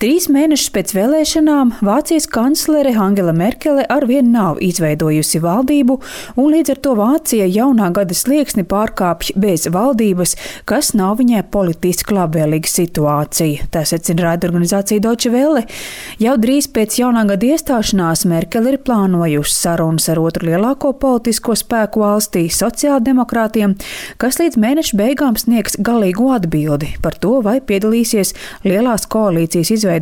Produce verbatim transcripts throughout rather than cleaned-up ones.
Trīs mēnešus pēc vēlēšanām Vācijas kanclere Angela Merkele arvien nav izveidojusi valdību, un līdz ar to Vācija jaunā gada slieksni pārkāpj bez valdības, kas nav viņai politiski labvēlīga situācija. Tā secina raidorganizācija Deutsche Welle. Jau drīz pēc jaunā gada iestāšanās Merkele ir plānojusi sarunas ar otru lielāko politisko spēku valstī, sociāldemokrātiem, kas līdz mēneša beigām sniegs galīgu atbildi par to, vai piedalīsies lielās koalīcijas izveidošanā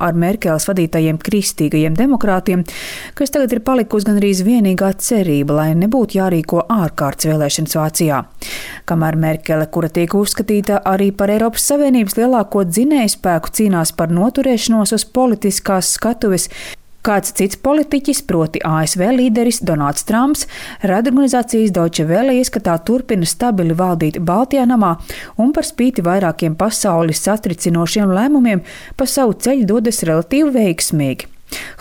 ar Merkeles vadītajiem kristīgajiem demokrātiem, kas tagad ir palikusi gandrīz vienīgā cerība, lai nebūtu jārīko ārkārtas vēlēšanas Vācijā. Kamēr Merkele, kura tiek uzskatīta arī par Eiropas Savienības lielāko dzinējspēku, cīnās par noturēšanos uz politiskās skatuves, kāds cits politiķis, proti A S V līderis Donalds Trumps, raidorganizācijas Deutsche Welle ieskatā turpina stabili valdīt Baltijā namā un par spīti vairākiem pasaules satricinošiem lēmumiem pa savu ceļu dodas relatīvi veiksmīgi.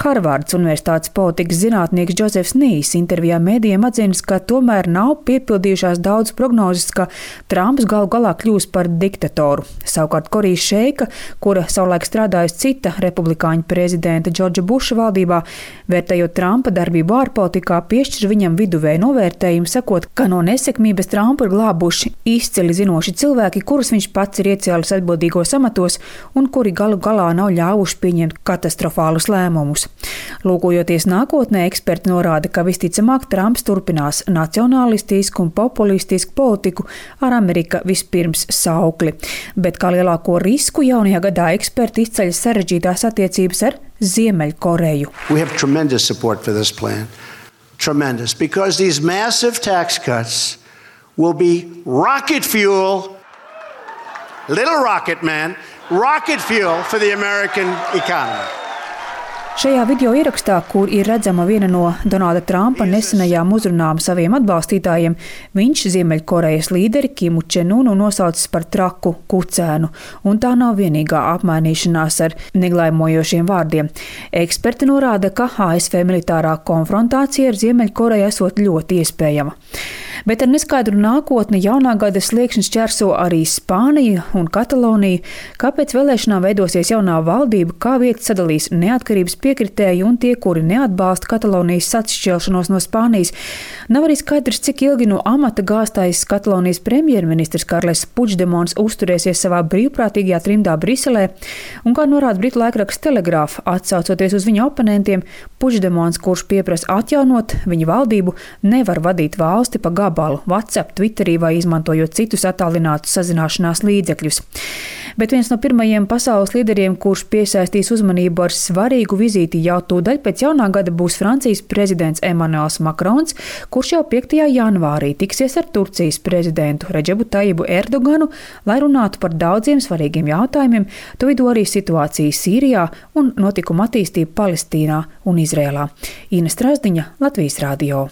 Harvardas Universitātes politikas zinātnieks Džozefs Nīs intervijā mēdījiem atzīst, ka tomēr nav piepildījušās daudz prognozes, ka Trumps galu galā kļūs par diktatoru. Savukārt Korijas Šeika, kura savulaik strādājusi cita republikāņu prezidenta Džordža Buša valdībā, vērtējot Trumpa darbību ārpolitikā, piešķir viņam viduvēju novērtējumu, sakot, ka no nesekmības Trumpu ir glābuši izcili zinoši cilvēki, kurus viņš pats ir iecēlis atbildīgos amatos un kuri galu galā nav ļāvuši pieņemt katastrofālus lēmumus. Lūkojoties nākotnē, eksperti norāda, ka visticamāk Trumps turpinās nacionalistisku un populistisku politiku ar Amerika vispirms saukli. Bet kā lielāko risku jaunajā gadā eksperti izceļ sarežģītās attiecības ar Ziemeļkoreju. We have tremendous support for this plan. Tremendous. Because these massive tax cuts will be rocket fuel, little rocket man, rocket fuel for the American economy. Šajā video ierakstā, kur ir redzama viena no Donalda Trumpa nesenajām uzrunām saviem atbalstītājiem, viņš Ziemeļkorejas līderi Kimu Čenunu nosaucis par traku kucēnu, un tā nav vienīgā apmainīšanās ar neglaimojošiem vārdiem. Eksperti norāda, ka A S V militārā konfrontācija ar Ziemeļkoreju esot ļoti iespējama. Bet ar neskaidru nākotni jaunā gada sliekšņus ķerso arī Spānija un Katalonija, kāpēc vēlēšanām veidosies jaunā valdība, kā vietas sadalīs neatkarības piekritēji un tie, kuri neatbalsta Katalonijas atšķelšanos no Spānijas. Nav arī skaidrs, cik ilgi no amata gāstais Katalonijas premjerministrs Karles Puigdemons uzturēsies savā brīvprātīgajā trimdā Briselē, un kā norāda britu laikraksts Telegraph, atsaucoties uz viņa oponentiem, Puigdemons, kurš pieprasa atjaunot viņa valdību, nevar vadīt valsti pa gabalu WhatsApp, Twitterī vai izmantojot citus attālinātus sazināšanās līdzekļus. Bet viens no pirmajiem pasaules līderiem, kurš piesaistīs uzmanību ar svarīgu vizīti jau tūdaļ pēc jaunā gada, būs Francijas prezidents Emmanuels Macrons, kurš jau piektajā janvārī tiksies ar Turcijas prezidentu Redžebu Tajibu Erdoganu, lai runātu par daudziem svarīgiem jautājumiem, to vidū arī situāciju Sīrijā un notikumu attīstību Palestīnā un Izrēlā. Ina Strazdiņa, Latvijas Radio.